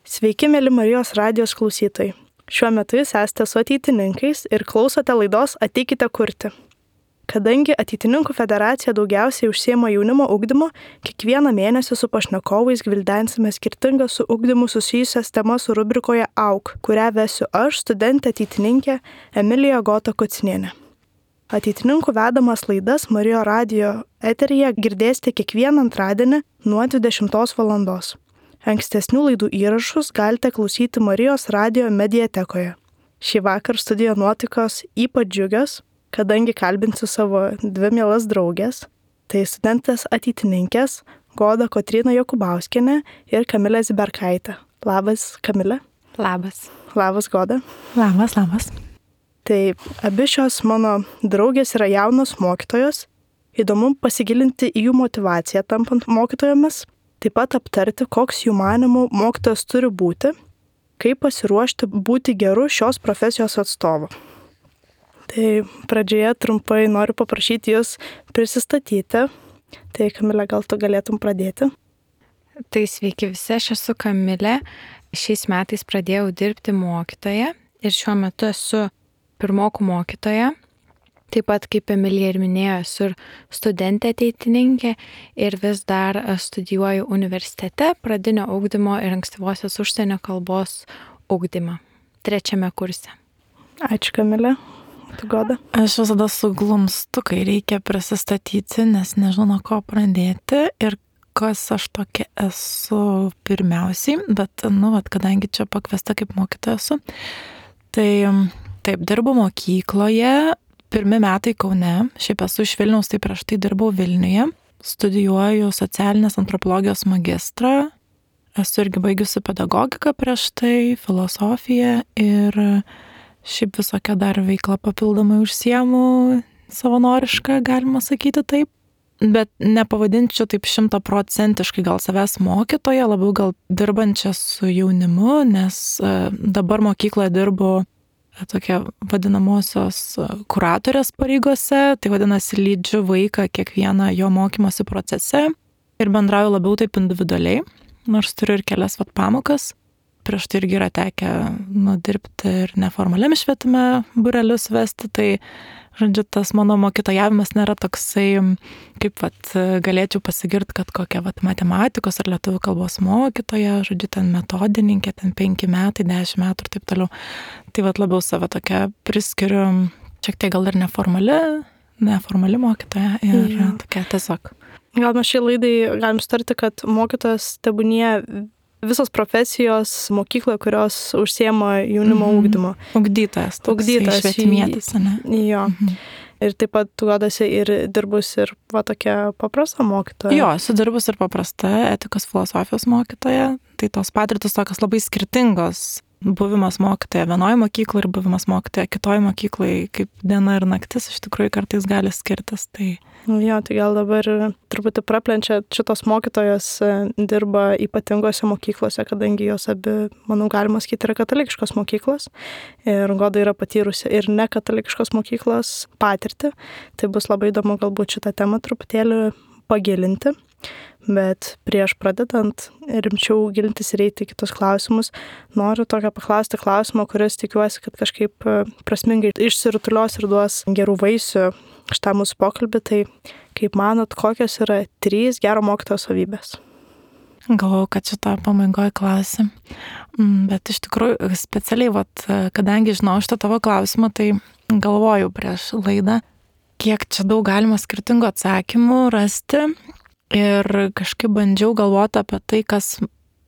Sveiki, mėly Marijos radijos klausytojai. Šiuo metu jūs esate su ateitininkais ir klausote laidos Ateikite kurti. Kadangi Ateitininkų federacija daugiausiai užsiema jaunimo ugdymu, kiekvieną mėnesį su pašnekovais gvildensime skirtingas su ugdymu susijusias temas rubrikoje AUK, kurią vesiu aš, studentė ateitininkė Emilija Gota Kucinienė. Ateitininkų vedamas laidas Marijos radijo eteryje girdėsite kiekvieną antradienį nuo 20 valandos. Ankstesnių laidų įrašus galite klausyti Marijos radijo mediatekoje. Šį vakar studijo nuotaikos ypač džiugios, kadangi kalbinsiu savo dvi mielas draugės, tai studentės ateitininkės Goda Kotryna Jokubauskienė ir Kamilė Ziberkaitė. Labas, Kamilė. Labas. Labas, Goda. Labas. Tai abi šios mano draugės yra jaunos mokytojos. Įdomu pasigilinti į jų motivaciją tampant mokytojomis, taip pat aptarti, koks jų manimų mokytojas turi būti, kaip pasiruošti būti geru šios profesijos atstovu. Tai pradžioje trumpai noriu paprašyti jūs prisistatyti. Tai Kamilė, gal tu galėtum pradėti? Tai sveiki visi, aš esu Kamilė. Šiais metais pradėjau dirbti mokytoja ir šiuo metu esu pirmokų mokytoja. Taip pat, kaip Emilija ir minėjo, esu ir studentė ateitininkė ir vis dar studijuoju universitete pradinio ugdymo ir ankstyvosios užsienio kalbos ugdymą 3 kurse. Ačiū, Kamilė. Tu, Goda? Aš visada suglumstu, kai reikia prisistatyti, nes nežinau, nuo ko pradėti ir kas aš tokia esu pirmiausiai, bet, kadangi čia pakviesta kaip mokytoja esu, tai taip, dirbu mokykloje, 1 metai Kaune, šiaip esu iš Vilniaus, tai prieš tai dirbau Vilniuje, studijuoju socialinės antropologijos magistrą, esu irgi baigusi pedagogiką prieš tai, filosofiją ir šiaip visokią dar veiklą papildomai užsiemu, savanorišką, galima sakyti taip. Bet nepavadinčiau taip 100% gal savęs mokytoja, labiau gal dirbančia su jaunimu, nes dabar mokykloje dirbu tokia vadinamosios kuratorės pareigose, tai vadinasi lydžiu vaiką kiekvieną jo mokymosi procese ir bendrauju labiau taip individualiai, nors turiu ir kelias pamokas. Prieš tai irgi yra tekę dirbti ir neformaliam švietime būrelius vesti, tai žodžiu, tas mano mokytojavimas nėra toksai, kaip galėčiau pasigirti, kad kokia matematikos ar lietuvių kalbos mokytoja, žodžiu, ten metodininkė, ten 5 metai, 10 metų ir taip toliau. Tai labiau save tokia priskiriu, šiek tiek gal ir neformali mokytoja ir tokia tiesiog. Gal mes šiai laidai galim sutarti, kad mokytojas tebūnie visos profesijos mokykloje, kurios užsiema jaunimo ugdymo. Ugdytojas, švietimietis, ne? Jo. Ir taip pat tu Godasi ir dirbus ir tokia paprasta mokytoja. Jo, esu dirbus ir paprasta etikos filosofijos mokytoja. Tai tos patirtis tokios labai skirtingos. Buvimas mokytoja vienoje mokykloje ir buvimas mokytoja kitoje mokykloje, kaip diena ir naktis, iš tikrųjų kartais gali skirtis. Tai gal dabar truputį praplenčia, šitos mokytojos dirba ypatingose mokyklose, kadangi jos abi, manau, galima sakyti, yra katalikiškos mokyklos. Ir Goda yra patyrusi ir nekatalikiškos mokyklos patirtį. Tai bus labai įdomu galbūt šitą temą truputėlį pagilinti. Bet prieš pradedant rimčiau gilintis ir eiti į kitus klausimus, noriu tokio paklausti klausimo, kuris tikiuosi, kad kažkaip prasmingai išsirutulios ir duos gerų vaisių šitą mūsų pokalbį. Tai kaip manot, kokios yra 3 gero mokytojo savybės? Galvojau, kad šitą pabaigoje klausim. Bet iš tikrųjų specialiai, kadangi žinau šitą tavo klausimą, tai galvojau prieš laidą, kiek čia daug galima skirtingų atsakymų rasti. Ir kažkaip bandžiau galvoti apie tai, kas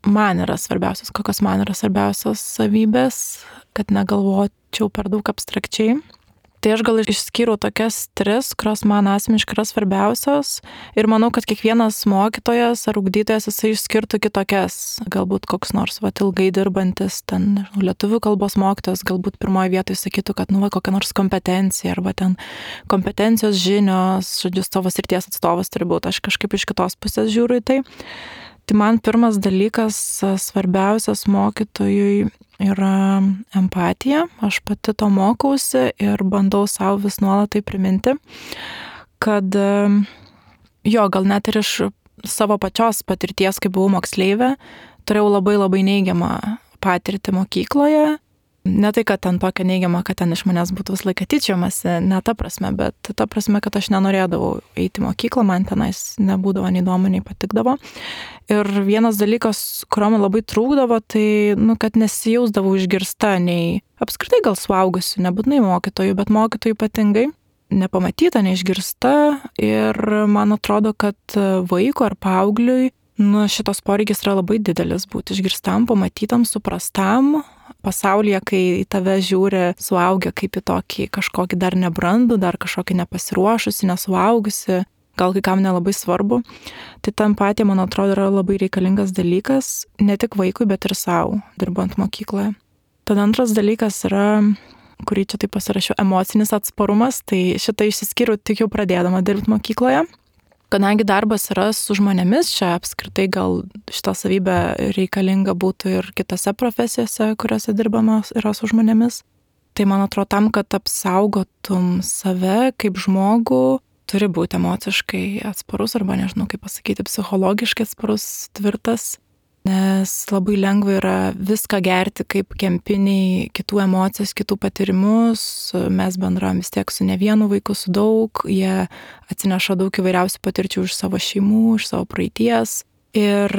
man yra svarbiausias, kokios man yra svarbiausios savybės, kad negalvočiau per daug abstrakčiai. Tai aš gal išskyriau tokias 3, kurios man asmeniškai yra svarbiausios ir manau, kad kiekvienas mokytojas ar ugdytojas jisai išskirtų kitokias. Galbūt koks nors ilgai dirbantis ten lietuvių kalbos mokytojas galbūt pirmoje vietoje sakytų, kad kokia nors kompetencija arba ten kompetencijos žinios, žodžiu, savo srities atstovas turi būti. Aš kažkaip iš kitos pusės žiūriu į tai. Tai man pirmas dalykas svarbiausias mokytojui yra empatija. Aš pati to mokausi ir bandau savo vis nuolat tai priminti, kad gal net ir iš savo pačios patirties, kai buvau moksleivė, turėjau labai labai neigiamą patirtį mokykloje. Ne tai, kad ten tokia neigiama, kad ten iš manęs būtų visą laiką tyčiamasi, ne ta prasme, bet ta prasme, kad aš nenorėdavau eiti į mokyklą, man tenais nebūdavo nei įdomu, nei patikdavo. Ir vienas dalykas, kurio man labai trūkdavo, tai, kad nesijausdavau išgirsta, nei apskritai gal suaugusių, nebūtinai mokytojų, bet mokytojų ypatingai, nepamatyta, neišgirsta. Ir man atrodo, kad vaiko ar paaugliui, šitos poreikis yra labai didelis būti išgirstam, pamatytam, suprastam pasaulyje, kai į tave žiūri suaugę kaip į tokį kažkokį dar nebrandų, dar kažkokį nepasiruošusi, nesuaugusi, gal kai kam nelabai svarbu. Tai ta empatija, man atrodo, yra labai reikalingas dalykas, ne tik vaikui, bet ir savo, dirbant mokykloje. Tada antras dalykas yra, kurį čia taip pasirašiau, emocinis atsparumas, tai šitą išsiskyriau tik jau pradėdama dirbti mokykloje. Kadangi darbas yra su žmonėmis, čia apskritai gal šitą savybę reikalinga būtų ir kitose profesijose, kuriuose dirbama yra su žmonėmis. Tai man atrodo, tam, kad apsaugotum save kaip žmogų, turi būti emociškai atsparus arba nežinau kaip pasakyti, psichologiškai atsparus, tvirtas. Nes labai lengva yra viską gerti kaip kempiniai, kitų emocijas, kitų patyrimus. Mes bendraujam vis tiek su ne vienu vaiku, su daug. Jie atsineša daug įvairiausių patirčių iš savo šeimų, iš savo praeities. Ir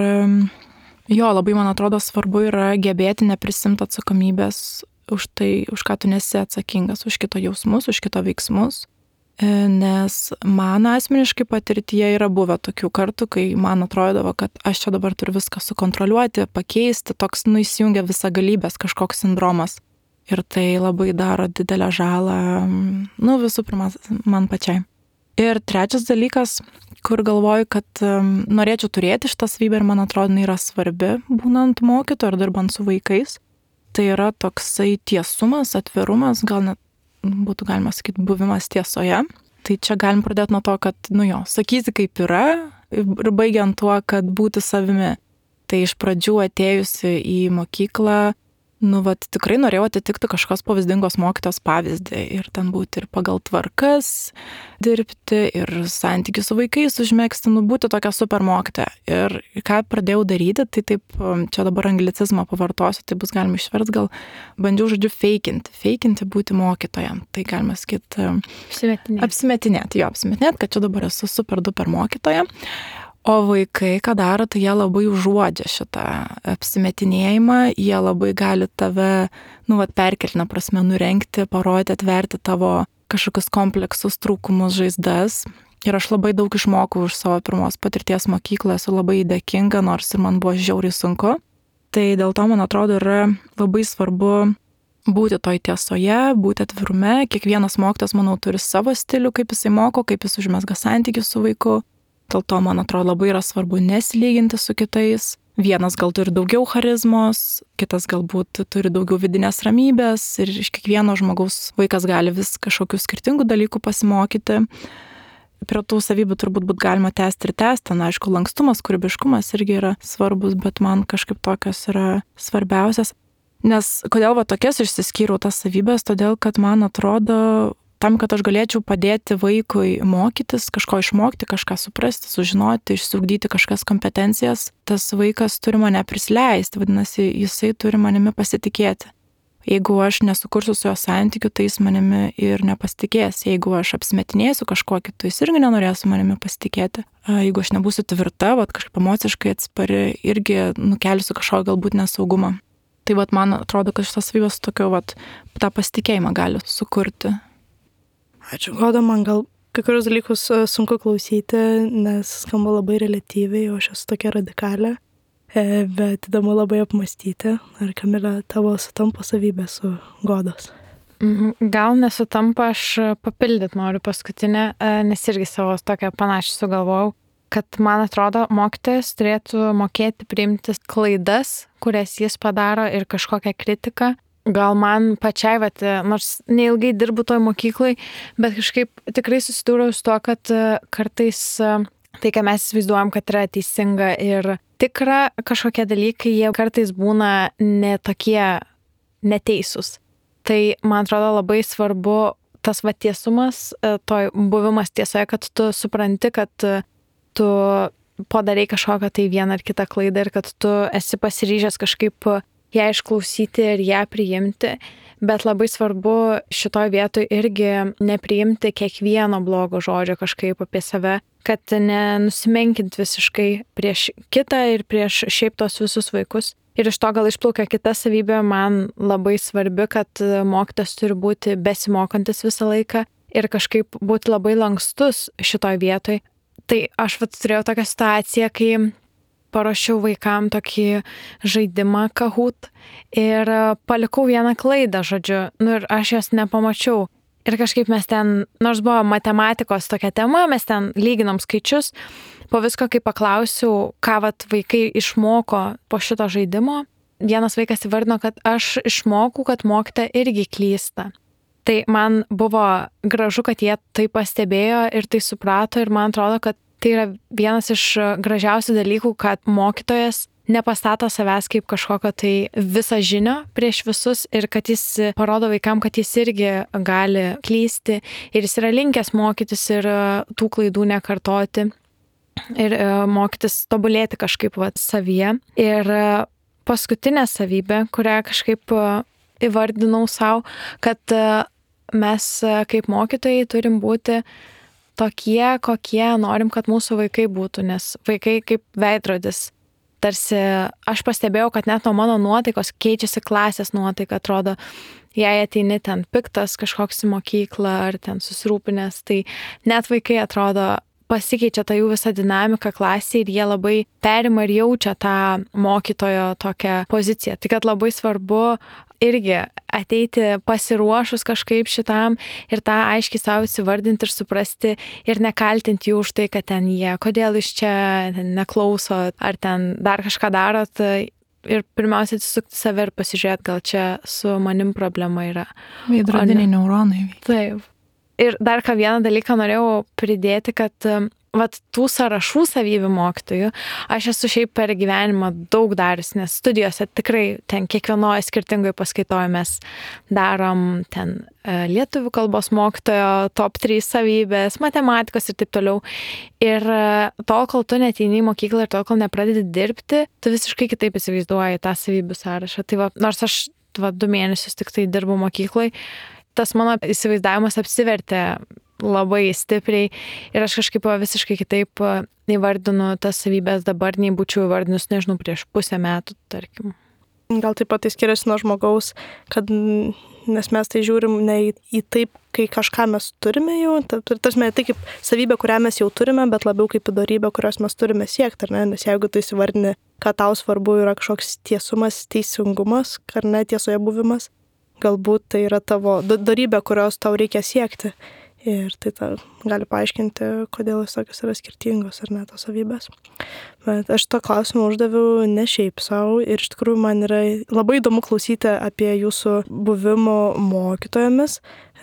jo, labai man atrodo svarbu yra gebėti neprisimti atsakomybės už tai, už ką tu nesi atsakingas, už kito jausmus, už kito veiksmus. Nes man asmeniškai patirtyje yra buvę tokių kartų, kai man atrodavo, kad aš čia dabar turiu viską sukontroliuoti, pakeisti, toks įsijungia visagalybės kažkoks sindromas. Ir tai labai daro didelę žalą, visų pirma, man pačiai. Ir trečias dalykas, kur galvoju, kad norėčiau turėti šitą savybę ir man atrodo, jinai yra svarbi, būnant mokytoju ar dirbant su vaikais, tai yra toksai tiesumas, atvirumas, gal net būtų galima sakyti buvimas tiesoje. Tai čia galim pradėti nuo to, kad, sakyti kaip yra ir baigiant tuo, kad būti savimi. Tai iš pradžių atėjusi į mokyklą, tikrai norėjau atitikti kažkokios pavyzdingos mokytojos pavyzdį ir ten būti ir pagal tvarkas dirbti ir santykių su vaikais užmegzti, būti tokia super mokytoja. Ir ką pradėjau daryti, tai taip, čia dabar anglicizmą pavartosiu, tai bus galima išversti, gal bandžiau feikinti būti mokytoja. Tai galima sakyti apsimetinėti, kad čia dabar esu super duper mokytoja. O vaikai, ką daro, tai jie labai užuodžia šitą apsimetinėjimą, jie labai gali tave, perkeltinę prasme nurengti, parodyti, atverti tavo kažkokius kompleksus, trūkumus, žaizdas. Ir aš labai daug išmokau iš savo pirmos patirties mokykloje, esu labai dėkinga, nors ir man buvo žiauriai sunku. Tai dėl to, man atrodo, yra labai svarbu būti toj tiesoje, būti atvirume. Kiekvienas mokytojas, manau, turi savo stilių, kaip jisai moko, kaip jis užmezga santykius su vaiku. Dėl to, man atrodo, labai yra svarbu nesilyginti su kitais. Vienas gal turi daugiau charizmos, kitas galbūt turi daugiau vidinės ramybės ir iš kiekvieno žmogaus vaikas gali vis kažkokių skirtingų dalykų pasimokyti. Prie tų savybių turbūt galima tęsti. Aišku, lankstumas, kūrybiškumas irgi yra svarbus, bet man kažkaip tokios yra svarbiausias. Nes kodėl tokias išsiskyriau tas savybės, todėl kad man atrodo, tam, kad aš galėčiau padėti vaikui mokytis, kažko išmokti, kažką suprasti, sužinoti, išsiugdyti kažkas kompetencijas, tas vaikas turi mane prisileisti, vadinasi, jisai turi manimi pasitikėti. Jeigu aš nesukursiu su jo santykiu, tai jis manimi ir nepasitikės. Jeigu aš apsimetinėsiu kažkuo kitu, jis irgi nenorės su manimi pasitikėti. Jeigu aš nebūsiu tvirta, kažkaip emociškai atspari, irgi nukelsiu kažkokį galbūt nesaugumą. Tai man atrodo, kad šitas savybės tokio tą pasitikėjimą gali sukurti. Ačiū, Goda, man gal kai kurios dalykus sunku klausyti, nes skamba labai reliatyviai, o aš esu tokia radikalė, bet įdomu labai apmastyti. Ar Kamilė, tavo sutampa savybė su Godos? Gal nesutampa, aš papildyti noriu paskutinę, nes irgi savo tokią panašią sugalvojau, kad man atrodo, mokytojas turėtų mokėti priimti klaidas, kurias jis padaro ir kažkokią kritiką. Gal man pačiai, nors neilgai dirbu toj mokyklai, bet kažkaip tikrai susidūriau su to, kad kartais tai, ką mes įsivaizduojam, kad yra teisinga ir tikra kažkokie dalykai, jie kartais būna netokie neteisūs. Tai, man atrodo, labai svarbu tas tiesumas, toj buvimas tiesoje, kad tu supranti, kad tu padarai kažkokią tai vieną ar kitą klaidą ir kad tu esi pasiryžęs kažkaip ją išklausyti ir ją priimti, bet labai svarbu šitoj vietoj irgi nepriimti kiekvieno blogo žodžio kažkaip apie save, kad nenusimenkint visiškai prieš kitą ir prieš šiaip tos visus vaikus. Ir iš to gal išplaukia kita savybė, man labai svarbi, kad mokytojas turi būti besimokantis visą laiką ir kažkaip būti labai lankstus šitoj vietoj. Tai aš turėjau tokią situaciją, kai parašiau vaikam tokį žaidimą Kahoot ir palikau vieną klaidą, žodžiu, ir aš jos nepamačiau. Ir kažkaip mes ten, nors buvo matematikos tokia tema, mes ten lyginom skaičius, po visko, kai paklausiau, ką vaikai išmoko po šito žaidimo, vienas vaikas įvardino, kad aš išmokau, kad mokytoja irgi klysta. Tai man buvo gražu, kad jie tai pastebėjo ir tai suprato ir man atrodo, kad tai yra vienas iš gražiausių dalykų, kad mokytojas nepastato savęs kaip kažkokio tai visažinio prieš visus ir kad jis parodo vaikam, kad jis irgi gali klysti ir jis yra linkęs mokytis ir tų klaidų nekartoti ir mokytis tobulėti kažkaip savyje. Ir paskutinė savybė, kurią kažkaip įvardinau savo, kad mes kaip mokytojai turim būti tokie, kokie norim, kad mūsų vaikai būtų, nes vaikai kaip veidrodis. Tarsi aš pastebėjau, kad net nuo mano nuotaikos keičiasi klasės nuotaika, atrodo, jei ateini ten piktas kažkoks į mokyklą ar ten susirūpinęs, tai net vaikai atrodo pasikeičia ta jų visa dinamika klasėje ir jie labai perima ir jaučia tą mokytojo tokią poziciją. Tai kad labai svarbu irgi ateiti pasiruošus kažkaip šitam ir tą aiškiai savo įsivardinti ir suprasti ir nekaltinti jų už tai, kad ten jie, kodėl iš čia neklauso ar ten dar kažką darot ir pirmiausia atsisukti save ir pasižiūrėti, gal čia su manim problema yra. Veidrodiniai neuronai. Taip. Ir dar vieną dalyką norėjau pridėti, kad tų sąrašų savybių mokytojų aš esu šiaip per gyvenimą daug darius, nes studijose tikrai ten kiekvienoje skirtingoje paskaitoje mes darom ten lietuvių kalbos mokytojo top 3 savybės, matematikos ir taip toliau. Ir tol, kol tu neateini į mokyklą ir tol, kol nepradedi dirbti, tu visiškai kitaip įsivaizduoji tą savybių sąrašą. Tai nors aš 2 mėnesius tik tai dirbu mokyklai, tas mano įsivaizdavimas apsivertė labai stipriai ir aš kažkaip visiškai kitaip įvardinu tas savybės dabar, nei būčiau įvardinus, nežinau, prieš pusę metų, tarkim. Gal taip pat tai skiriasi nuo žmogaus, kad nes mes tai žiūrim ne į taip, kai kažką mes turime jau, tarsi ne tai kaip savybė, kurią mes jau turime, bet labiau kaip įdarybė, kurios mes turime siekti, ar ne? Nes jeigu tu įsivardini, kad tau svarbu yra kažkoks tiesumas, teisingumas, ar ne, tiesoje buvimas, galbūt tai yra tavo darybė, kurios tau reikia siekti. Ir tai gali paaiškinti, kodėl jis tokios yra skirtingos ar ne tos savybės. Bet aš to klausimą uždaviau ne šiaip savo ir iš tikrųjų man yra labai įdomu klausyti apie jūsų buvimo mokytojomis,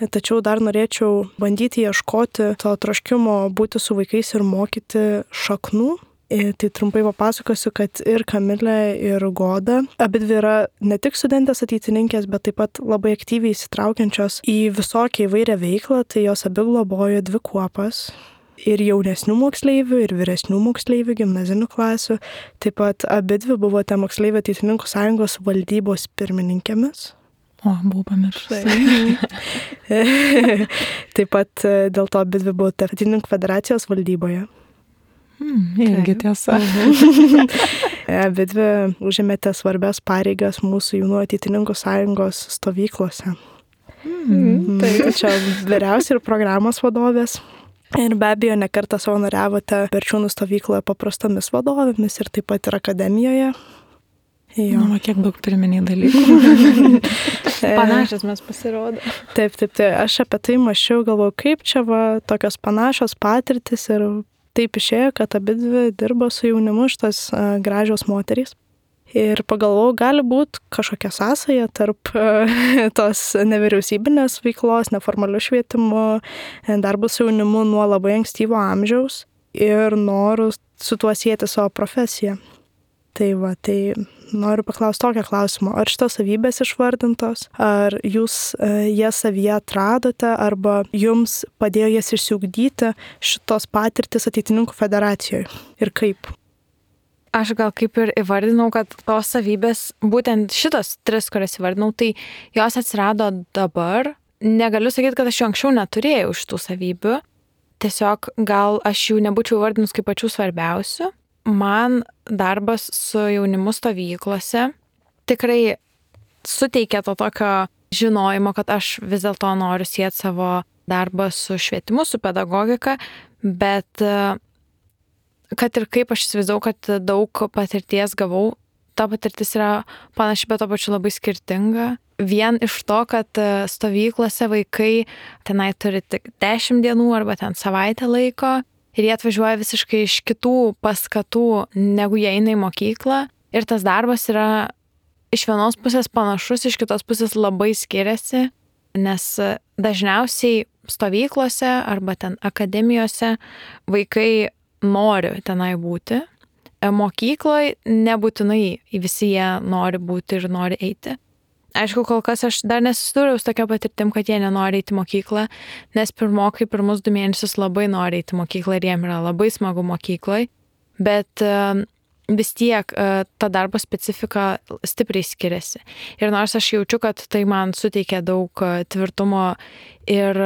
tačiau dar norėčiau bandyti ieškoti to troškimo būti su vaikais ir mokyti šaknų. Tai trumpai papasakosiu, kad ir Kamilė, ir Goda, abidvi yra ne tik studentės ateitininkės, bet taip pat labai aktyviai įsitraukiančios į visokią įvairią veiklą, tai jos abi globojo 2 kuopas. Ir jaunesnių moksleivių, ir vyresnių moksleivių, gimnazinių klasių. Taip pat abidvi buvote moksleivių ateitininkų sąjungos valdybos pirmininkėmis. O, buvau pamiršusi. Taip pat dėl to abidvi buvote ateitininkų federacijos valdyboje. Irgi tiesa. Abidvi užėmėte svarbias pareigas mūsų jaunų ateitininkų sąjungos stovyklose. Tai čia vyriausia ir programos vadovės. Ir be abejo, nekartą savanoriavote Berčiūnų stovykloje paprastomis vadovėmis ir taip pat ir akademijoje. Nu, kiek daug pirminiai dalykų. Panašios mes pasirodo. Taip. Aš apie tai mąsčiau, galvoju, kaip čia tokios panašios patirtis ir taip išėjo, kad abidvi dirbo su jaunimu šitos gražios moterys. Ir pagalvojau, gali būti kažkokia sąsaja tarp tos nevyriausybinės veiklos, neformalių švietimo, darbų su jaunimu nuo labai ankstyvo amžiaus ir norų su tuo sieti savo profesiją. Tai noriu paklausti tokio klausimo, ar šitos savybės išvardintos, ar jūs jas savyje atradote, arba jums padėjo jas išsiugdyti šitos patirtis Ateitininkų federacijoje ir kaip? Aš gal kaip ir įvardinau, kad tos savybės, būtent šitos 3, kurias įvardinau, tai jos atsirado dabar. Negaliu sakyti, kad aš jų anksčiau neturėjau šitų savybių. Tiesiog gal aš jų nebūčiau įvardinus kaip pačių svarbiausių. Man darbas su jaunimu stovyklose tikrai suteikia to tokio žinojimo, kad aš vis dėlto noriu sieti savo darbą su švietimu, su pedagogika, bet kad ir kaip aš įsivaizdavau, kad daug patirties gavau, ta patirtis yra panaši, bet to pačiu labai skirtinga. Vien iš to, kad stovyklose vaikai tenai turi tik 10 dienų arba ten savaitę laiko ir jie atvažiuoja visiškai iš kitų paskatų, negu jie eina į mokyklą. Ir tas darbas yra iš vienos pusės panašus, iš kitos pusės labai skiriasi, nes dažniausiai stovyklose arba ten akademijose vaikai nori tenai būti. Mokykloje nebūtinai visi jie nori būti ir nori eiti. Aišku, kol kas aš dar nesusidūriau su tokia patirtim, kad jie nenori eiti mokyklą, nes pirmokai pirmus 2 mėnesius labai nori eiti mokyklą ir jiem yra labai smagu mokykloje, bet vis tiek ta darbo specifika stipriai skiriasi. Ir nors aš jaučiu, kad tai man suteikia daug tvirtumo ir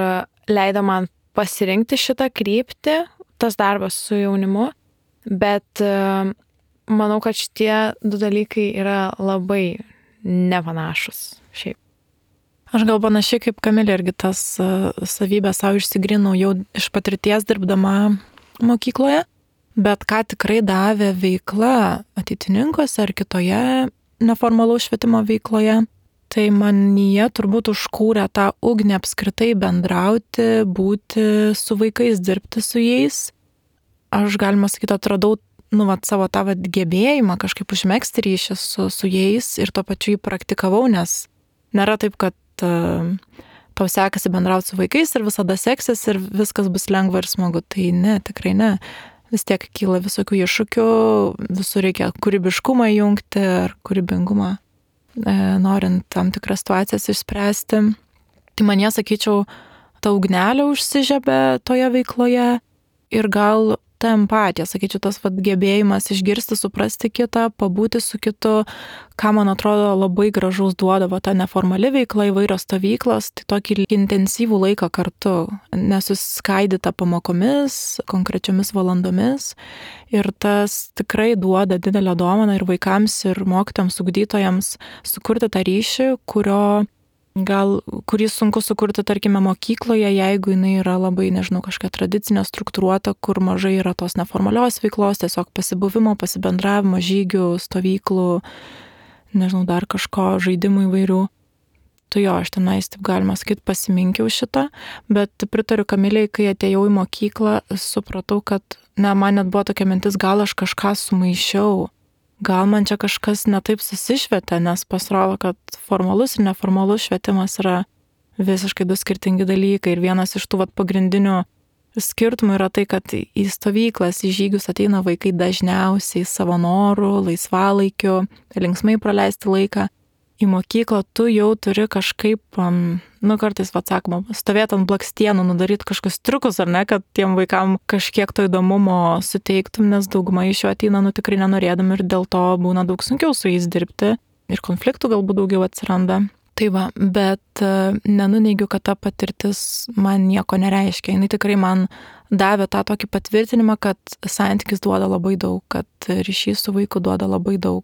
leido man pasirinkti šitą kryptį, tas darbas su jaunimu, bet manau, kad šitie 2 dalykai yra labai nepanašus šiaip. Aš gal panašiai kaip Kamilė irgi tas savybės savo išsigrinau jau iš patirties dirbdama mokykloje, bet ką tikrai davė veikla Ateitininkuose ar kitoje neformalaus švietimo veikloje, tai manyje turbūt užkūrė tą ugnį apskritai bendrauti, būti su vaikais, dirbti su jais. Aš, galima sakyti, atradau savo tą gebėjimą kažkaip užmegzti ryšį su jais ir tuo pačiu jį praktikavau, nes nėra taip, kad tau sekasi bendrauti su vaikais ir visada seksis ir viskas bus lengva ir smagu. Tai ne, tikrai ne. Vis tiek kyla visokių iššūkių, visur reikia kūrybiškumą jungti ar kūrybingumą, norint tam tikras situacijas išspręsti. Tai man jie, sakyčiau, ta ugnelė užsižiebė toje veikloje ir gal ta empatija, sakyčiau, tas gebėjimas išgirsti, suprasti kitą, pabūti su kitu, ką man atrodo labai gražaus duodavo ta neformali veikla, įvairios stovyklos, tai tokį intensyvų laiką kartu, nesuskaidyta pamokomis, konkrečiomis valandomis. Ir tas tikrai duoda didelę dovaną ir vaikams, ir mokytojams, ugdytojams sukurti tą ryšį, kurį sunku sukurti, tarkime, mokykloje, jeigu jinai yra labai, kažkokia tradicinė, struktūruota, kur mažai yra tos neformalios veiklos, tiesiog pasibuvimo, pasibendravimo, žygių, stovyklų, dar kažko, žaidimų įvairių. Tai jo, aš tenais, taip galima sakyti, pasiminkiau šitą, bet pritariu Kamilei, kai atėjau į mokyklą, supratau, kad, man net buvo tokia mintis, gal aš kažką sumaišiau. Gal man čia kažkas netaip susišvietė, nes pasirodo, kad formalus ir neformalus švietimas yra visiškai 2 skirtingi dalykai. Ir vienas iš tų pagrindinių skirtumų yra tai, kad į stovyklas, į žygius ateina vaikai dažniausiai savo norų, laisvalaikiu, linksmai praleisti laiką. Į mokyklą tu jau turi kažkaip, kartais, sakoma, stovėti ant blakstienų, nudaryti kažkokius triukus, ar ne, kad tiem vaikam kažkiek to įdomumo suteiktum, nes dauguma iš jų ateina, tikrai nenorėdami ir dėl to būna daug sunkiau su jais dirbti ir konfliktų galbūt daugiau atsiranda. Tai va, bet nenuneigiu, kad ta patirtis man nieko nereiškia. Jis tikrai man davė tą tokį patvirtinimą, kad santykis duoda labai daug, kad ryšys su vaiku duoda labai daug.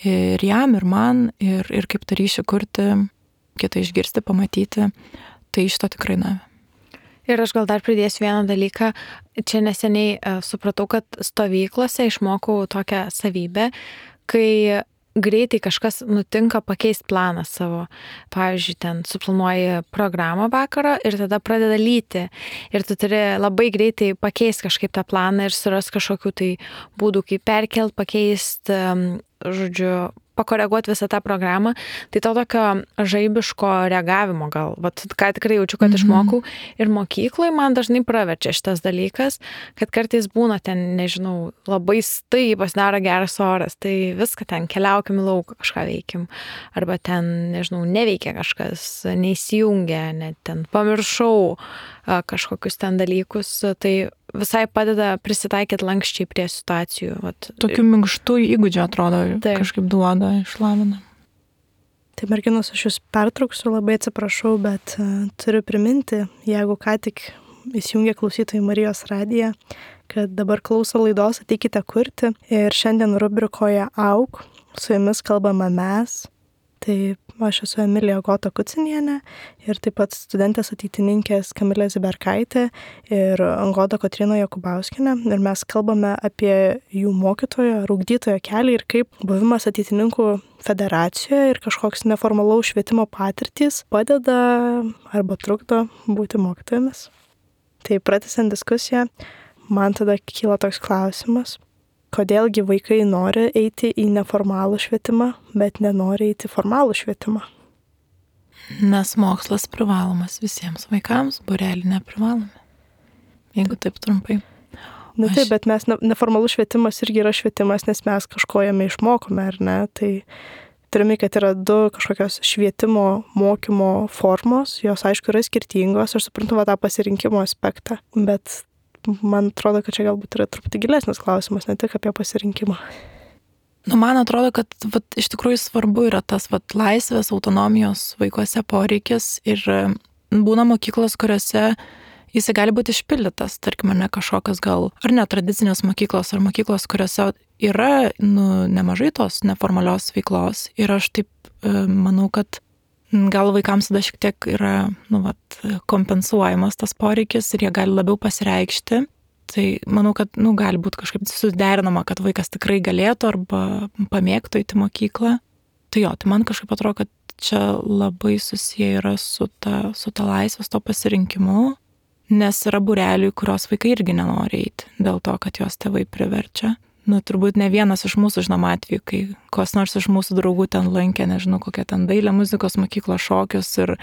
Ir jam, ir man, ir kaip tą ryšį kurti, kitą išgirsti, pamatyti, tai šito tikrai davė. Ir aš gal dar pridėsiu vieną dalyką. Čia neseniai supratau, kad stovyklose išmokau tokią savybę, kai greitai kažkas nutinka pakeisti planą savo. Pavyzdžiui, ten suplanuoji programą vakaro ir tada pradeda lyti. Ir tu turi labai greitai pakeisti kažkaip tą planą ir suras kažkokių tai būdų, kaip perkelt, pakeisti, pakoreguoti visą tą programą, tai to tokio žaibiško reagavimo gal, vat, ką tikrai jaučiu, kad išmokau ir mokykloje man dažnai praverčia šitas dalykas, kad kartais būna ten, nežinau, labai pasidaro geras oras, tai viską ten keliaukim į lauką, kažką veikim, arba ten, nežinau, neveikia kažkas, neįsijungia, net ten pamiršau kažkokius ten dalykus, tai visai padeda prisitaikyti lankščiai prie situacijų. Vat. Tokių minkštų įgūdžių atrodo, kažkaip duoda, išlavina. Tai merginos, aš jūs pertrauksiu, labai atsiprašau, bet turiu priminti, jeigu ką tik įsijungia klausytojai Marijos radiją, kad dabar klauso laidos Ateikite kurti ir šiandien rubrikoje Auk su jumis kalbame mes. Tai aš esu Emilija Gota Kucinienė ir taip pat studentės ateitininkės Kamilė Ziberkaitė ir Goda Kotryna Jokubauskienė. Ir mes kalbame apie jų mokytojo ar ugdytojo kelią ir kaip buvimas ateitininkų federacijoje ir kažkoks neformalaus švietimo patirtys padeda arba trukdo būti mokytojomis. Tai pratęsiant diskusiją, man tada kyla toks klausimas. Kodėlgi vaikai nori eiti į neformalų švietimą, bet nenori eiti į formalų švietimą? Nes mokslas privalomas visiems vaikams, būrelį neprivalome. Jeigu taip trumpai. Taip, bet mes neformalus švietimas irgi yra švietimas, nes mes kažko jame išmokome, ar ne? Tai turime, kad yra du kažkokios švietimo, mokymo formos, jos aišku yra skirtingos, aš suprantu tą pasirinkimo aspektą, bet man atrodo, kad čia galbūt yra truputį gilesnis klausimas, ne tik apie pasirinkimą. Man atrodo, kad iš tikrųjų svarbu yra tas laisvės, autonomijos vaikuose poreikis ir būna mokyklos, kuriuose jis gali būti išpildytas, tarkim, ne kažkokios gal, ar netradicinės mokyklos, ar mokyklos, kuriuose yra nemažai tos neformalios veiklos ir aš taip manau, kad gal vaikams tada šiek tiek yra kompensuojamas tas poreikis ir jie gali labiau pasireikšti. Tai manau, kad gali būti kažkaip suderinama, kad vaikas tikrai galėtų arba pamėgtų eiti mokyklą. Tai man kažkaip atrodo, kad čia labai susiję yra su ta laisvės, to pasirinkimu, nes yra būrelių, kurios vaikai irgi nenori eiti dėl to, kad jos tėvai priverčia. Turbūt ne vienas iš mūsų žinom atveju, kai kas nors iš mūsų draugų ten lankė, nežinau, kokią ten dailę, muzikos mokyklos šokius ir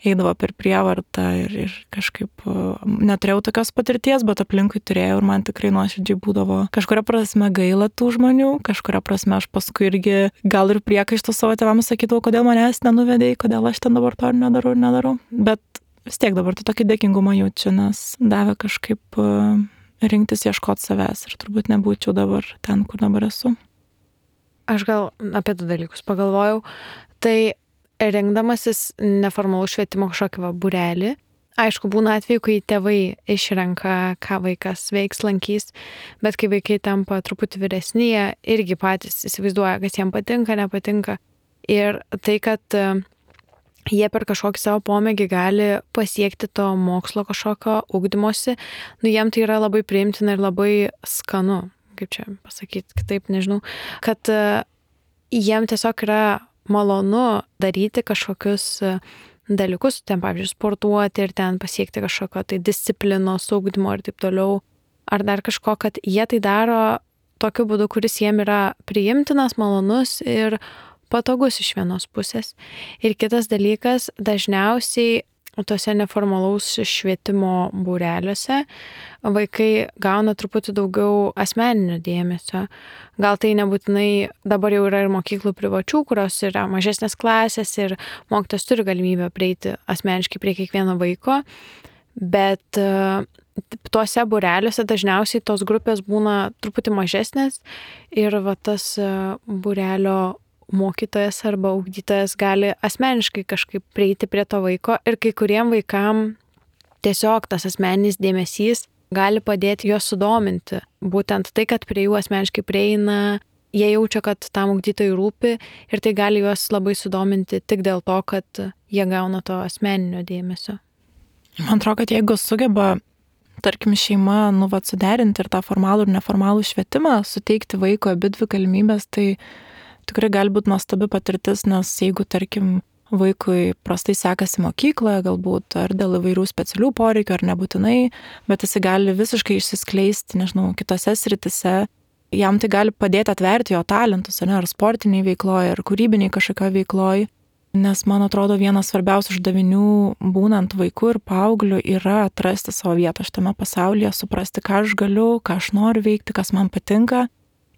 eidavo per prievartą ir kažkaip neturėjau tokios patirties, bet aplinkui turėjau ir man tikrai nuoširdžiai būdavo kažkuria prasme gaila tų žmonių, kažkuria prasme aš paskui irgi gal ir priekaištų savo tėvams sakydavau, kodėl manęs nenuvedei, kodėl aš ten dabar to nedarau, bet vis tiek dabar tokį dėkingumą jaučiu, nes davė kažkaip rinktis ieškoti savęs ir turbūt nebūčiau dabar ten, kur dabar esu. Aš gal apie du dalykus pagalvojau. Tai rinkdamasis neformalų švietimo kažkokį būrelį, aišku, būna atveju, kai tėvai išrenka, ką vaikas veiks, lankys, bet kai vaikai tampa truputį vyresni, jie irgi patys įsivaizduoja, kas jiems patinka, nepatinka. Ir tai, kad jie per kažkokį savo pomėgį gali pasiekti to mokslo kažkokio ugdymosi, jiem tai yra labai priimtina ir labai skanu, kaip čia pasakyti, kitaip nežinau, kad jiem tiesiog yra malonu daryti kažkokius dalykus, ten pavyzdžiui sportuoti ir ten pasiekti kažkokio tai disciplinos, ugdymo ir taip toliau, ar dar kažko, kad jie tai daro tokiu būdu, kuris jiem yra priimtinas, malonus ir patogus iš vienos pusės. Ir kitas dalykas, dažniausiai tose neformalaus švietimo būreliuose vaikai gauna truputį daugiau asmeninio dėmesio. Gal tai nebūtinai, dabar jau yra ir mokyklų privačių, kurios yra mažesnės klasės ir mokytojas turi galimybę prieiti asmeniškai prie kiekvieno vaiko, bet tuose būreliuose dažniausiai tos grupės būna truputį mažesnės ir tas būrelio mokytojas arba ugdytojas gali asmeniškai kažkaip prieiti prie to vaiko ir kai kuriem vaikam tiesiog tas asmeninis dėmesys gali padėti juos sudominti. Būtent tai, kad prie jų asmeniškai prieina, jie jaučia, kad tam ugdytojui rūpi ir tai gali juos labai sudominti tik dėl to, kad jie gauna to asmeninio dėmesio. Man atrodo, kad jeigu sugeba, tarkim, šeima suderinti ir tą formalų ir neformalų švietimą, suteikti vaiko abidvi galimybės, tai tikrai gali būti nuostabi patirtis, nes jeigu, tarkim, vaikui prastai sekasi mokykloje, galbūt ar dėl įvairių specialių poreikių, ar nebūtinai, bet jis gali visiškai išsiskleisti, nežinau, kitose sritise jam tai gali padėti atverti jo talentus, ar sportiniai veikloje, ar kūrybiniai kažkokio veikloje. Nes man atrodo, vienas svarbiausių uždavinių būnant vaiku ir paaugliu yra atrasti savo vietą šitame pasaulyje, suprasti, ką aš galiu, ką aš noriu veikti, kas man patinka.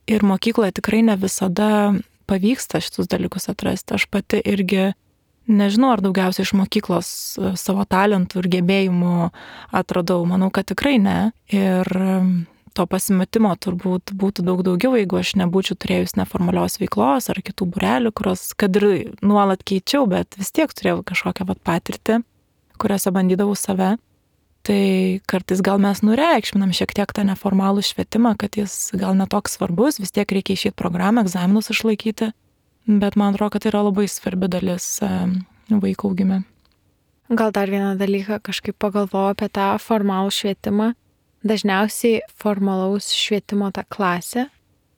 Ir mokykloje tikrai ne visada pavyksta šitus dalykus atrasti. Aš pati irgi nežinau, ar daugiausiai iš mokyklos savo talentų ir gebėjimų atradau. Manau, kad tikrai ne. Ir to pasimetimo turbūt būtų daug daugiau, jeigu aš nebūčiau turėjus neformalios veiklos ar kitų būrelių, kurios, kad ir nuolat keičiau, bet vis tiek turėjau kažkokią patirtį, kuriuose bandydavau save. Tai kartais gal mes nureikšminam šiek tiek tą neformalų švietimą, kad jis gal netoks svarbus, vis tiek reikia išeiti programą, egzaminus išlaikyti, bet man atrodo, kad tai yra labai svarbi dalis vaiko augime. Gal dar vieną dalyką kažkaip pagalvojau apie tą formalų švietimą. Dažniausiai formalaus švietimo ta klasė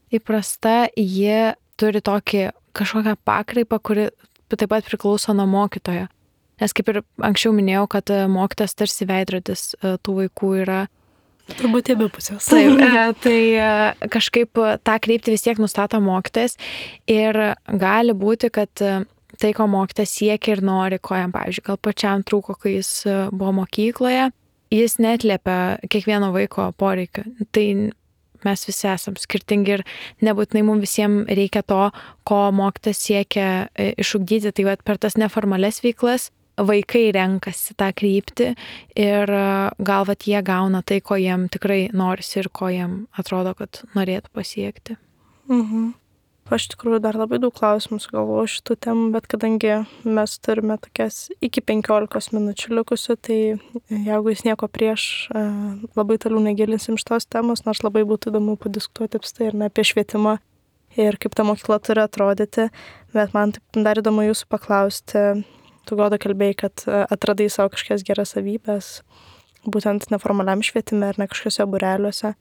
įprasta, jie turi tokį kažkokią pakraipą, kuri taip pat priklauso nuo mokytojo. Nes kaip ir anksčiau minėjau, kad mokytas tarsi veidrodis tų vaikų yra. Turbūt abi pusės. Taip, tai kažkaip tą kryptį vis tiek nustato mokytojas ir gali būti, kad tai, ko mokytas siekia ir nori, ko jam, pavyzdžiui, gal pačiam trūko, kai jis buvo mokykloje, jis neatliepia kiekvieno vaiko poreikio. Tai mes visi esam skirtingi ir nebūtinai mums visiems reikia to, ko mokytas siekia išugdyti. Tai per tas neformales veiklas vaikai renkasi tą kryptį ir gal jie gauna tai, ko jiem tikrai norisi ir ko jiem atrodo, kad norėtų pasiekti. Mhm. Aš tikrųjų dar labai daug klausimų sugalvoju šitų temų, bet kadangi mes turime tokias iki 15 minučių likusių, tai jeigu jūs nieko prieš, labai toliau negilinsim šitos temos, nors labai būtų įdomu padiskutuoti apstai ir apie švietimą ir kaip ta mokykla turi atrodyti, bet man taip dar įdomu jūsų paklausti. Tu, Goda, kalbėjai, kad atradai savo kažkokias geras savybės, būtent neformaliam švietime ir ne kažkokiuose būreliuose.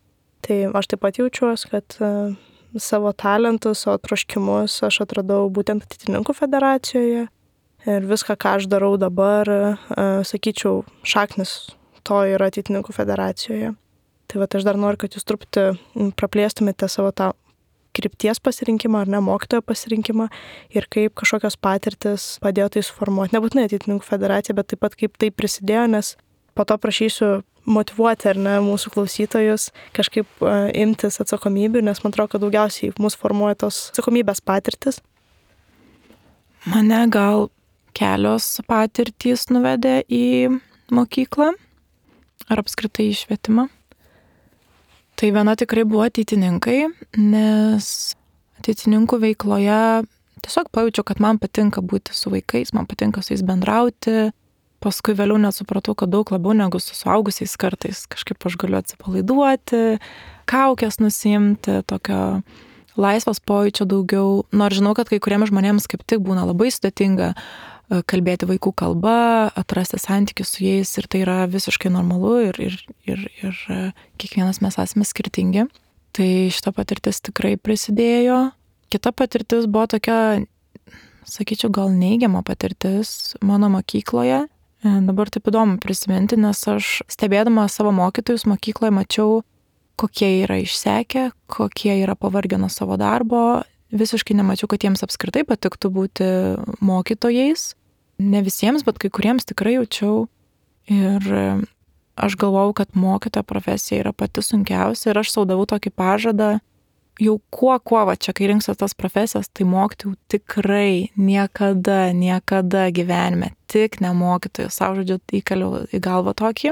Tai aš taip pat jaučiuosi, kad savo talentus, savo troškimus aš atradau būtent Ateitininkų federacijoje ir viską, ką aš darau dabar, sakyčiau, šaknis to yra Ateitininkų federacijoje. Tai aš dar noriu, kad jūs truputį praplėstumėte savo tą krypties pasirinkimą ar ne mokytojo pasirinkimą ir kaip kažkokios patirtis padėjo tai suformuoti. Nebūtinai Ateitininkų federacija, bet taip pat kaip tai prisidėjo, nes po to prašysiu motyvuoti ar ne mūsų klausytojus kažkaip imtis atsakomybių, nes man atrodo, kad daugiausiai mūsų formuoja tos atsakomybės patirtis. Mane gal kelios patirtys nuvedė į mokyklą ar apskritai į švietimą. Tai viena tikrai buvo ateitininkai, nes ateitininkų veikloje tiesiog pajaučiau, kad man patinka būti su vaikais, man patinka su jais bendrauti. Paskui vėliau net supratau, kad daug labiau negu su suaugusiais kartais kažkaip aš galiu atsipalaiduoti, kaukės nusimti, tokio laisvos pojūčio daugiau. Nors žinau, kad kai kuriems žmonėms kaip tik būna labai sudėtinga kalbėti vaikų kalba, atrasti santykius su jais ir tai yra visiškai normalu ir kiekvienas mes esame skirtingi. Tai šita patirtis tikrai prisidėjo. Kita patirtis buvo tokia, sakyčiau, gal neigiama patirtis mano mokykloje. Dabar taip įdomu prisiminti, nes aš stebėdama savo mokytojus mokykloje mačiau, kokie yra išsekę, kokie yra pavargę nuo savo darbo. Visiškai nemačiau, kad jiems apskritai patiktų būti mokytojais. Ne visiems, bet kai kuriems tikrai jaučiau. Ir aš galvojau, kad mokytojo profesija yra pati sunkiausia ir aš sau davau tokį pažadą. Jau kuo čia, kai rinksiu tas profesijas, tai mokyti jau tikrai niekada gyvenime, tik ne mokytojų, savo žodžiu, įkaliau į galvą tokį.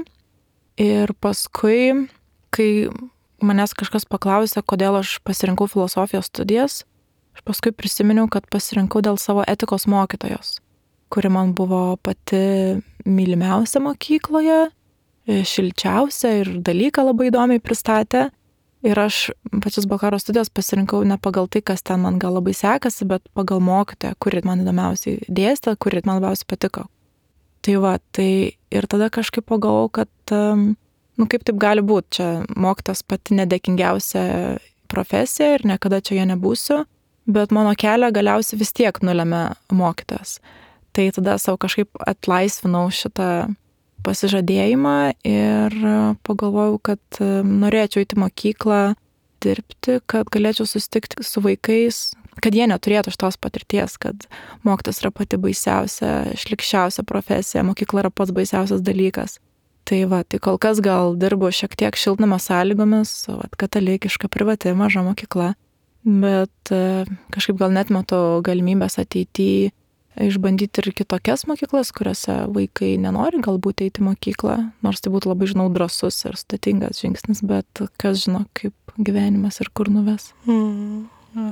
Ir paskui, kai manęs kažkas paklausė, kodėl aš pasirinkau filosofijos studijas, aš paskui prisiminiau, kad pasirinkau dėl savo etikos mokytojos, kuri man buvo pati mylimiausia mokykloje, šilčiausia ir dalyką labai įdomiai pristatė. Ir aš pačias bakalauro studijas pasirinkau ne pagal tai, kas ten man gal labai sekasi, bet pagal mokytoją, kuri man įdomiausiai dėstė, kuri man labiausiai patiko. Tai ir tada kažkaip pagalvojau, kad, kaip taip gali būti, čia mokytas pati nedėkingiausia profesija ir niekada čia jo nebūsiu, bet mano kelią galiausiai vis tiek nulemia mokytas. Tai tada savo kažkaip atlaisvinau šitą pasižadėjimą ir pagalvojau, kad norėčiau eiti į mokyklą dirbti, kad galėčiau susitikti su vaikais, kad jie neturėtų šitos patirties, kad mokytojas yra pati baisiausia, šlikščiausia profesija, mokykla yra pats baisiausias dalykas. Tai kol kas gal dirbu šiek tiek šiltnamio sąlygomis, katalikiška, privati, maža mokykla, bet kažkaip gal net matau galimybės ateityje išbandyti ir kitokias mokyklas, kuriuose vaikai nenori galbūt eiti į mokyklą, nors tai būtų labai, žinau, drąsus ir sudėtingas žingsnis, bet kas žino, kaip gyvenimas ir kur nuves.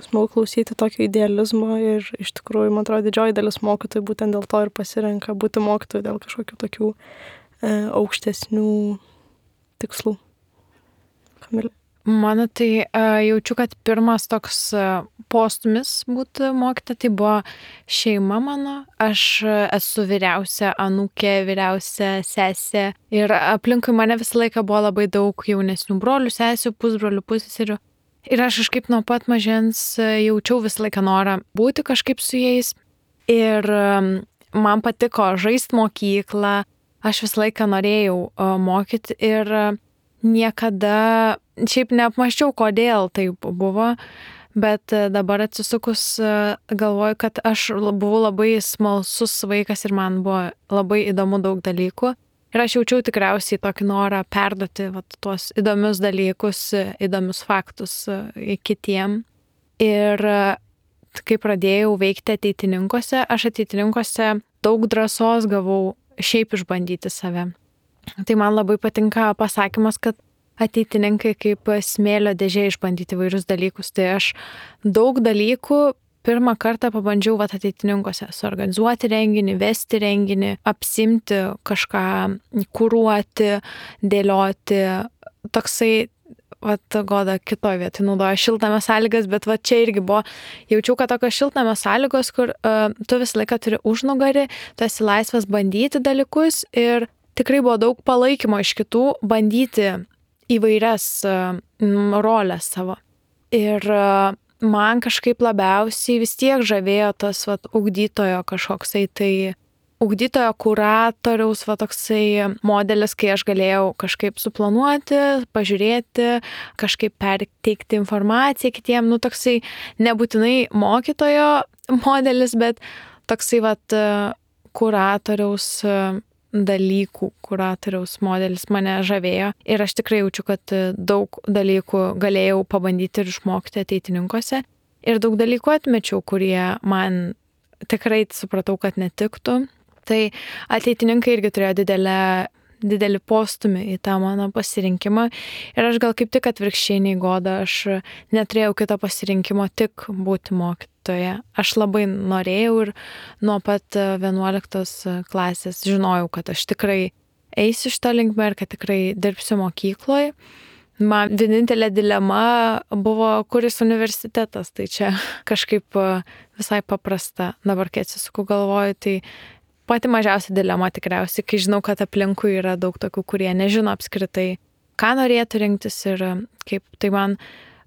Smagu klausyti tokio idealizmo ir iš tikrųjų, man atrodo, didžioji dalis mokytojų būtent dėl to ir pasirenka būti mokytojų dėl kažkokių tokių aukštesnių tikslų. Kamilė. Mano tai jaučiu, kad pirmas toks postumis būti mokytoja, tai buvo šeima mano. Aš esu vyriausia anūkė, vyriausia sesė ir aplinkui mane visą laiką buvo labai daug jaunesnių brolių, sesių, pusbrolių, pusseserių. Ir aš kažkaip nuo pat mažens jaučiau visą laiką norą būti kažkaip su jais. Ir man patiko žaisti mokyklą, aš visą laiką norėjau mokyti ir niekada šiaip neapmąsčiau, kodėl taip buvo, bet dabar atsisukus galvoju, kad aš buvau labai smalsus vaikas ir man buvo labai įdomu daug dalykų. Ir aš jaučiau tikriausiai tokį norą perduoti tuos įdomius dalykus, įdomius faktus kitiem. Ir kai pradėjau veikti ateitininkuose, aš ateitininkuose daug drąsos gavau šiaip išbandyti save. Tai man labai patinka pasakymas, kad ateitininkai kaip smėlio dėžė išbandyti vairius dalykus. Tai aš daug dalykų pirmą kartą pabandžiau ateitininkuose suorganizuoti renginį, vesti renginį, apsimti kažką, kuruoti, dėlioti. Toksai, Goda kitoj vietoj naudoja šiltnamio sąlygas, bet čia irgi buvo, jaučiau, kad tokios šiltnamio sąlygos, kur tu visą laiką turi užnugarį, tu esi laisvas bandyti dalykus ir tikrai buvo daug palaikymo iš kitų bandyti įvairias rolės savo. Ir man kažkaip labiausiai vis tiek žavėjo tas ugdytojo kažkoksai, tai ugdytojo kuratoriaus toksai modelis, kai aš galėjau kažkaip suplanuoti, pažiūrėti, kažkaip perteikti informaciją kitiem, toksai nebūtinai mokytojo modelis, bet toksai kuratoriaus dalykų, kuratoriaus modelis mane žavėjo ir aš tikrai jaučiu, kad daug dalykų galėjau pabandyti ir išmokti ateitininkuose ir daug dalykų atmečiau, kurie man tikrai supratau, kad netiktų. Tai ateitininkai irgi turėjo didelį postumį į tą mano pasirinkimą ir aš gal kaip tik atvirkščiai nei Goda, aš neturėjau kito pasirinkimo, tik būti mokytoja. Aš labai norėjau ir nuo pat 11 klasės žinojau, kad aš tikrai eisiu šitą linkmę ir kad tikrai dirbsiu mokykloje. Man vienintelė dilema buvo, kuris universitetas, tai čia kažkaip visai paprasta. Dabar, kai atsisuku galvoju, tai pati mažiausia dilema tikriausiai, kai žinau, kad aplinkui yra daug tokių, kurie nežino apskritai, ką norėtų rinktis ir kaip. Tai man,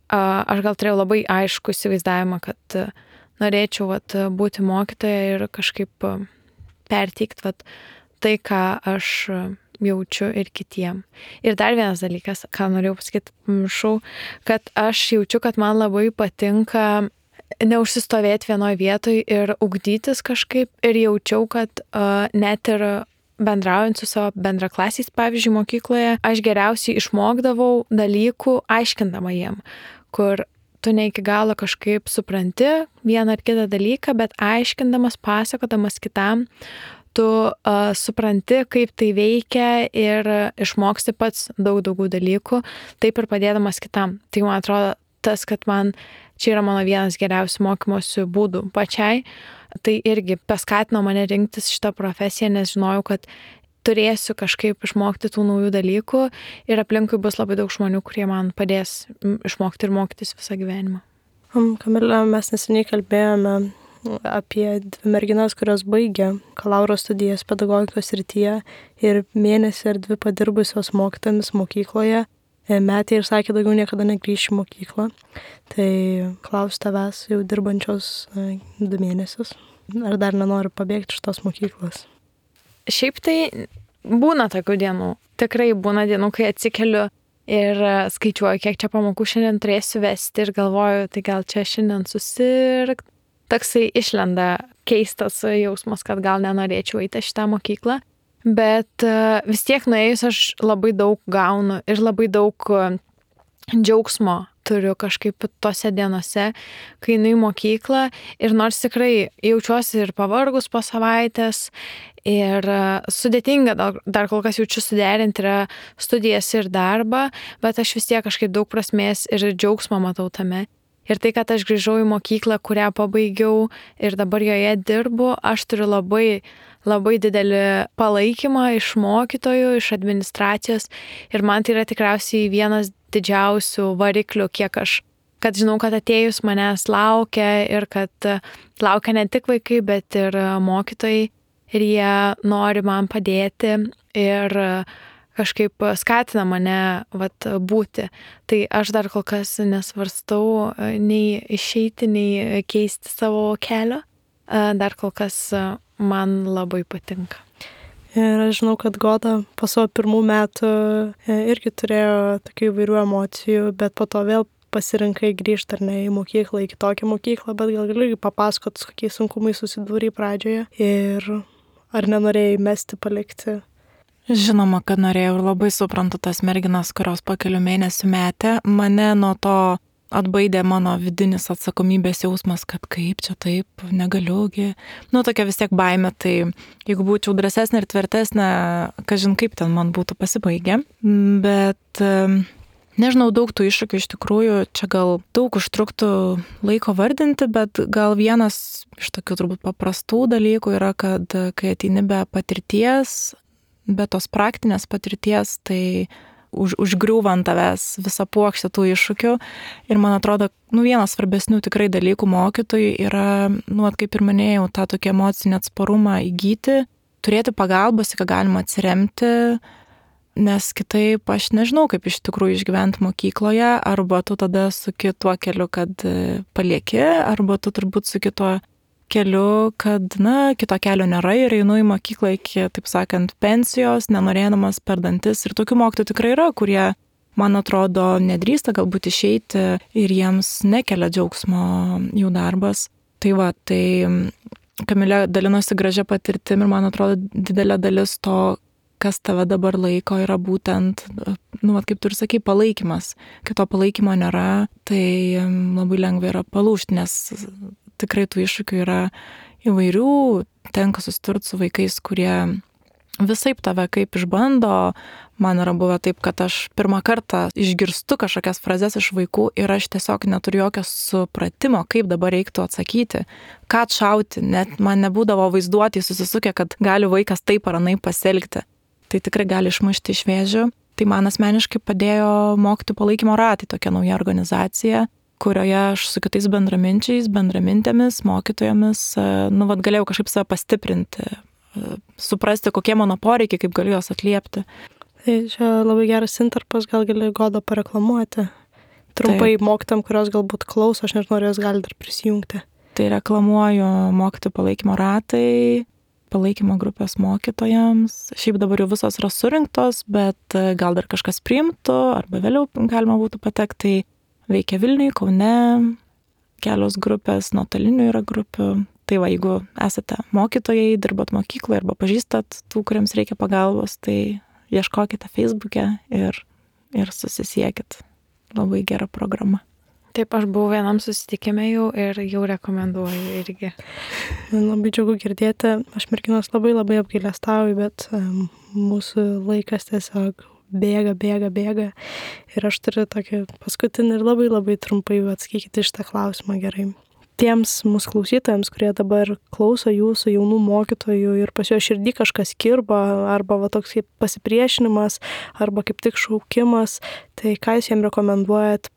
aš gal turėjau labai aišku įsivaizdavimą, kad norėčiau būti mokytoja ir kažkaip perteikti tai, ką aš jaučiu ir kitiem. Ir dar vienas dalykas, ką norėjau pasakyti, pamiršau, kad aš jaučiu, kad man labai patinka neužsistovėti vienoje vietoje ir ugdytis kažkaip. Ir jaučiau, kad net ir bendraujant su savo bendraklasiais, pavyzdžiui, mokykloje, aš geriausiai išmokdavau dalykų aiškindama jiem, kur tu ne iki galo kažkaip supranti vieną ar kitą dalyką, bet aiškindamas, pasakodamas kitam, tu supranti, kaip tai veikia ir išmoksti pats daugiau dalykų, taip ir padėdamas kitam. Tai man atrodo tas, kad čia yra mano vienas geriausių mokymosi būdų pačiai, tai irgi paskatino mane rinktis šitą profesiją, nes žinojau, kad turėsiu kažkaip išmokti tų naujų dalykų ir aplinkui bus labai daug žmonių, kurie man padės išmokti ir mokytis visą gyvenimą. Kamilė, mes neseniai kalbėjome apie dvi merginas, kurios baigė bakalauro studijas pedagogikos srityje ir mėnesį ar 2 padirbusios mokytojomis mokykloje. Metė ir sakė, daugiau niekada negrįš į mokyklą. Tai klausiu tavęs, jau dirbančios 2 mėnesius, ar dar nenori pabėgti iš tos mokyklos? Šiaip tai būna tokių dienų. Tikrai būna dienų, kai atsikeliu ir skaičiuoju, kiek čia pamokų šiandien turėsiu vesti ir galvoju, tai gal čia šiandien susirgt. Toksai išlenda keistas jausmas, kad gal nenorėčiau eiti šitą mokyklą, bet vis tiek nuėjus aš labai daug gaunu ir labai daug džiaugsmo turiu kažkaip tose dienose, kai einu į mokyklą ir nors tikrai jaučiuosi ir pavargus po savaitės ir sudėtinga dar kol kas jaučiu suderinti yra studijas ir darbą, bet aš vis tiek kažkaip daug prasmės ir džiaugsmo matau tame. Ir tai, kad aš grįžau į mokyklą, kurią pabaigiau ir dabar joje dirbu, aš turiu labai, labai didelį palaikymą iš mokytojų, iš administracijos ir man tai yra tikriausiai vienas didžiausių variklių, kad žinau, kad atėjus manęs laukia ir kad laukia ne tik vaikai, bet ir mokytojai ir jie nori man padėti ir kažkaip skatina mane būti. Tai aš dar kol kas nesvarstau nei išeiti, nei keisti savo kelio. Dar kol kas man labai patinka. Ir aš žinau, kad Goda po savo pirmų metų irgi turėjo tokių įvairių emocijų, bet po to vėl pasirinkai grįžti ar ne į mokyklą, į kitokią mokyklą, bet gal gali papasakot, su kokiais sunkumais susidūrei pradžioje ir ar nenorėjai mesti, palikti? Žinoma, kad norėjau ir labai suprantu tas merginas, kurios po kelių mėnesių metė. Mane nuo to atbaidė mano vidinis atsakomybės jausmas, kad kaip čia taip, negaliugi. Tokia vis tiek baimė, tai jeigu būčiau drąsesnė ir tvirtesnė, kažin kaip ten man būtų pasibaigę. Bet nežinau, daug tų iššūkių iš tikrųjų, čia gal daug užtruktų laiko vardinti, bet gal vienas iš tokių turbūt paprastų dalykų yra, kad kai ateini be patirties, be tos praktinės patirties, tai užgriūva ant tavęs visą puokštę tų iššūkių. Ir man atrodo, vienas svarbesnių tikrai dalykų mokytojui yra, kaip ir minėjau, tą tokį emocinį atsparumą įgyti, turėti pagalbos, į ką galima atsiremti, nes kitaip aš nežinau, kaip iš tikrųjų išgyventi mokykloje, arba tu tada suki tuo keliu, kad palieki, arba tu turbūt suki tuo keliu, kad, kito kelio nėra ir einu į mokyklą iki, taip sakant, pensijos, nenorėdamas per dantis. Ir tokių mokytojų tikrai yra, kurie, man atrodo, nedrįsta galbūt išeiti ir jiems nekelia džiaugsmo jų darbas. Tai Kamilė dalinosi gražia patirtim ir man atrodo didelė dalis to, kas tave dabar laiko, yra būtent, kaip tu ir sakai, palaikymas. Kai to palaikymo nėra, tai labai lengva yra palūžti, nes tikrai tų iššūkių yra įvairių, tenka susidurti su vaikais, kurie visaip tave kaip išbando. Man yra buvę taip, kad aš pirmą kartą išgirstu kažkokias frazes iš vaikų ir aš tiesiog neturiu jokio supratimo, kaip dabar reiktų atsakyti, ką atšauti, net man nebūdavo vaizduoti susisukę, kad gali vaikas taip ar anaip pasielgti. Tai tikrai gali išmušti iš vėžių. Tai man asmeniškai padėjo mokytojų palaikymo ratai, tokia nauja organizacija, kurioje aš su kitais bendraminčiais, bendramintėmis, mokytojomis, galėjau kažkaip save pastiprinti, suprasti, kokie mano poreikiai, kaip galiu juos atliepti. Tai čia labai geras intarpas, gal gali Godą pareklamuoti. Trumpai mokytam, kurios galbūt klauso, aš nežinau, ar jos gali dar prisijungti. Tai reklamuoju mokytojų palaikymo ratai, palaikymo grupės mokytojams. Šiaip dabar jau visos yra surinktos, bet gal dar kažkas priimtų, arba vėliau galima būtų patekti. Veikia Vilniuje, Kaune, kelios grupės, nuotolinių yra grupių. Tai jeigu esate mokytojai, dirbat mokykloje arba pažįstat tų, kuriems reikia pagalbos, tai ieškokite Facebook'e ir susisiekit. Labai gera programa. Taip, aš buvau vienam susitikime jau ir jau rekomenduoju irgi. Man labai džiugu girdėti. Aš merginos labai labai apgailestauju, bet mūsų laikas tiesiog bėga. Ir aš turiu tokį paskutinį ir labai labai trumpai atsakykite šitą klausimą gerai. Tiems mūsų klausytojams, kurie dabar klauso jūsų jaunų mokytojų ir pas jo širdį kažkas kirba, arba toks kaip pasipriešinimas, arba kaip tik šaukimas, tai ką jūs jiems rekomenduojat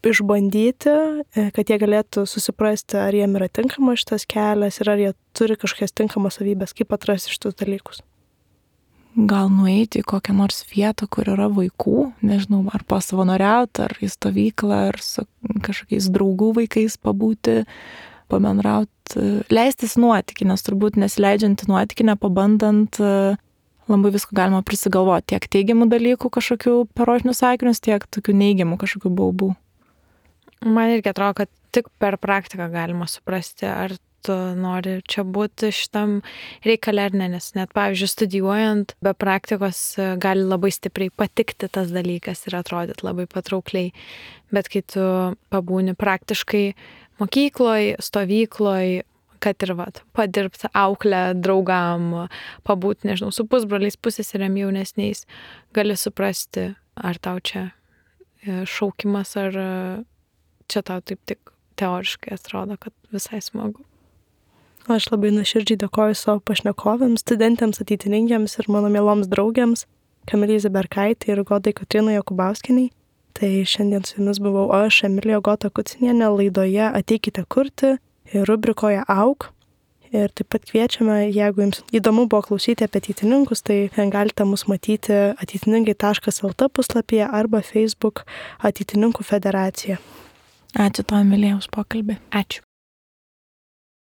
išbandyti, kad jie galėtų susiprasti, ar jiem yra tinkamas šitas kelias ir ar jie turi kažkokias tinkamas savybės, kaip atrasti šitus dalykus? Gal nueiti į kokią nors vietą, kur yra vaikų, nežinau, ar pasavanoriauti, ar į stovyklą, ar su kažkokiais draugų vaikais pabūti, pabendrauti, leistis nuotykį, nes turbūt nesileidžiant į nuotykį, nepabandant, labai visko galima prisigalvoti, tiek teigiamų dalykų kažkokių per rožinius sakinius, tiek tokių neigiamų kažkokių baubų. Man irgi atrodo, kad tik per praktiką galima suprasti, ar tu nori čia būti šitam reikale ar ne, nes net, pavyzdžiui, studijuojant be praktikos gali labai stipriai patikti tas dalykas ir atrodyti labai patraukliai, bet kai tu pabūni praktiškai mokykloj, stovykloj, kad ir padirbti auklę draugam, pabūti, nežinau, su pusbroliais, pusseserėm jaunesniais, gali suprasti, ar tau čia šaukimas, ar čia tau taip tik teoriškai atrodo, kad visai smagu. Aš labai nuoširdžiai dėkoju savo pašnekovėms, studentėms, ateitininkėms ir mano mieloms draugėms, Kamilei Ziberkaitei ir Godai Kotrynai Jokubauskienei. Tai šiandien su jumis buvau aš, Emilija Gota Kucinienė, laidoje Ateikite kurti ir rubrikoje Auk. Ir taip pat kviečiame, jeigu jums įdomu buvo klausyti apie ateitininkus, tai galite mus matyti ateitininkai.lt puslapyje arba Facebook Ateitininkų federacija. Ačiū tau, Emilija, už pokalbį. Ačiū.